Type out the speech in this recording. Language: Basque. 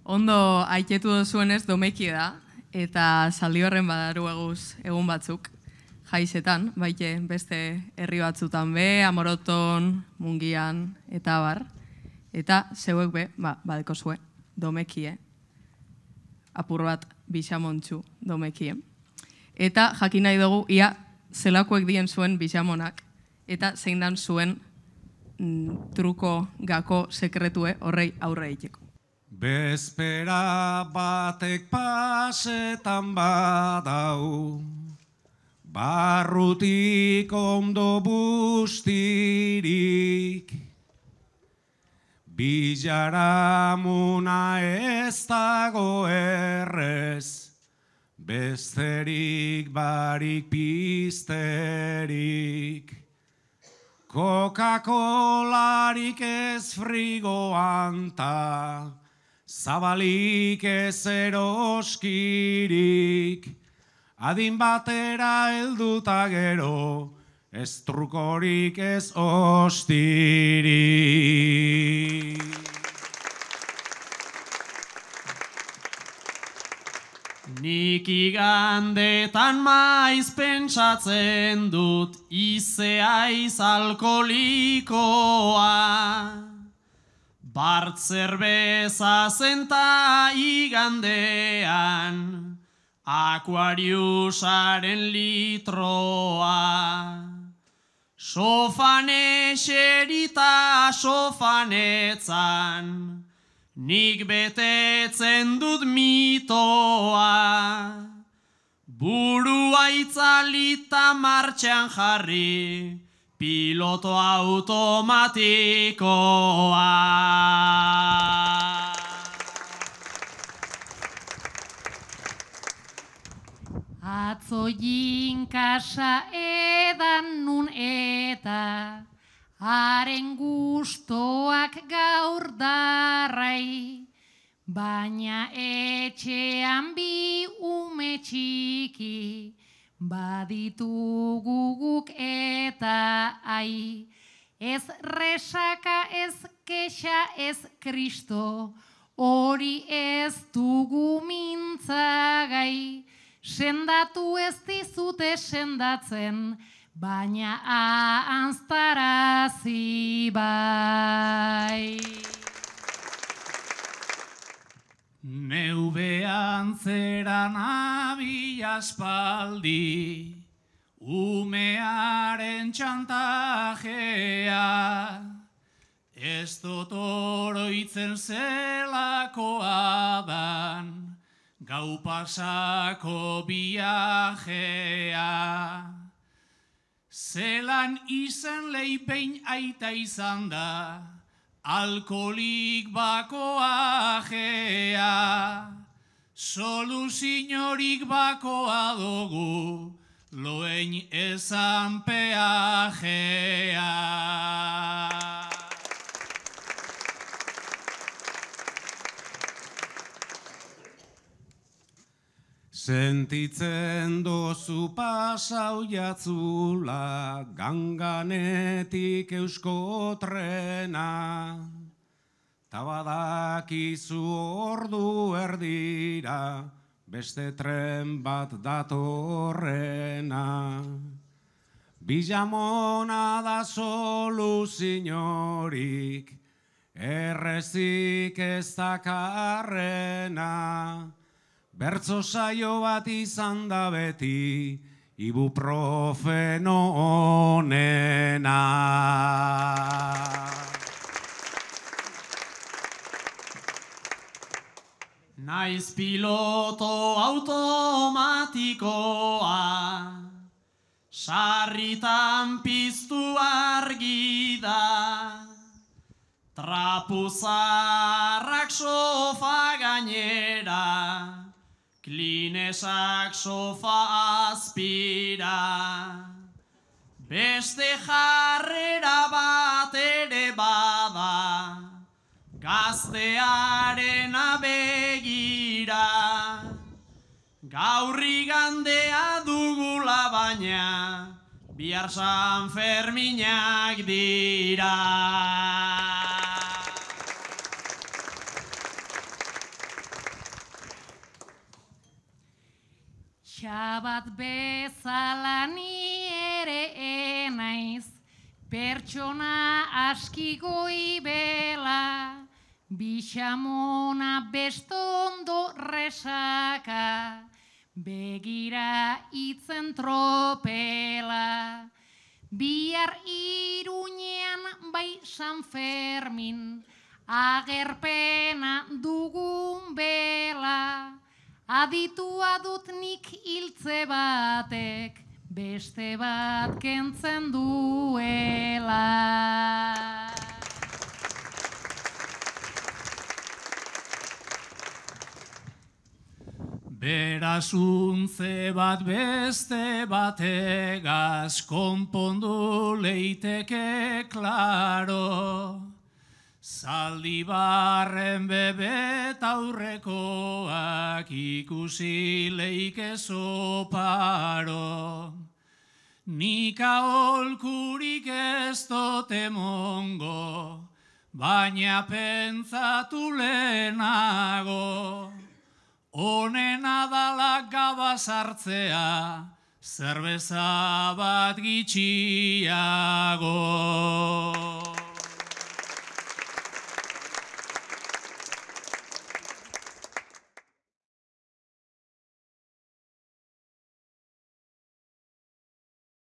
Ondo aiketu dozuenez domeki da, eta zaldi horren badaru eguz egun batzuk, jaizetan, baite beste herri batzutan be, Amoroton, Mungian, eta abar. Eta zeuek be, badeko zue, domekie, apur bat bixamontxu domekie. Eta jakin nahi dugu, ia zelakoek dien zuen bixamonak, eta zein dan zuen truko gako sekretue horrei aurre egiteko. Bezpera batek pasetan badau, barrutik ondo bustirik, bilaramuna ez dago errez, besterik barik pizterik, Coca-Colarik ez frigoan ta, zabalik ez eroskirik, adin batera helduta gero, ez trukorik ez ostirik. Nik igandetan maiz pentsatzen dut izeaiz alkolikoa. Bart zerbeza zenta igandean, Aquariusaren litroa. Sofan eserita sofanetzan, nik betetzen dut mitoa. Burua itzalita martxan jarri, piloto automatikoa. Atzo jinkasa edan nun eta haren gustoak gaur darrai, baina etxean bi ume txiki baditugu guk eta ai. Ez resaka, ez kexa, ez kristo, hori ez dugu mintzagai. Sendatu ez dizute sendatzen, baina ahanztarazi bai. Neubean zeran abila aspaldi, umearen txantajea, ez dut oroitzen zelakoa dan, gau pasako viajea. Zelan izan leipein aita izan da, alkolik bakoa jea. Soluziorik bakoa dugu, loein ezan peajea. Sentitzen dozu pasau jatzula, ganganetik eusko trena, ta badakizu ordu erdira, beste tren bat datorrena. Bilamona da soluziorik, errezik ez dakarrena, bertso saio bat izan da beti, ibuprofeno onena. Naiz piloto automatikoa, sarritan piztu argi da, trapuzarrak sofa gainera, Klinesak sofa azpira, beste jarrera bat ere bada, gaztearen begira. Gaur igandea dugula baina, bihar San Ferminak dira. Txabat bezala ni ere naiz, pertsona aski goibela, bixamona bestondo resaka, begira itzen tropela. Bihar Iruñean bai San Fermin, agerpena dugun bela, aditua dut nik hiltze batek, beste bat kentzen duela. Berasuntze bat beste bategaz konpondu leiteke klaro. Zaldibarren bebet aurrekoak ikusi leike soparo. Nik aholkurik ez dote mongo, baina pentsatu lehenago. Honena dala gabaz hartzea, zerbeza bat gitxiago.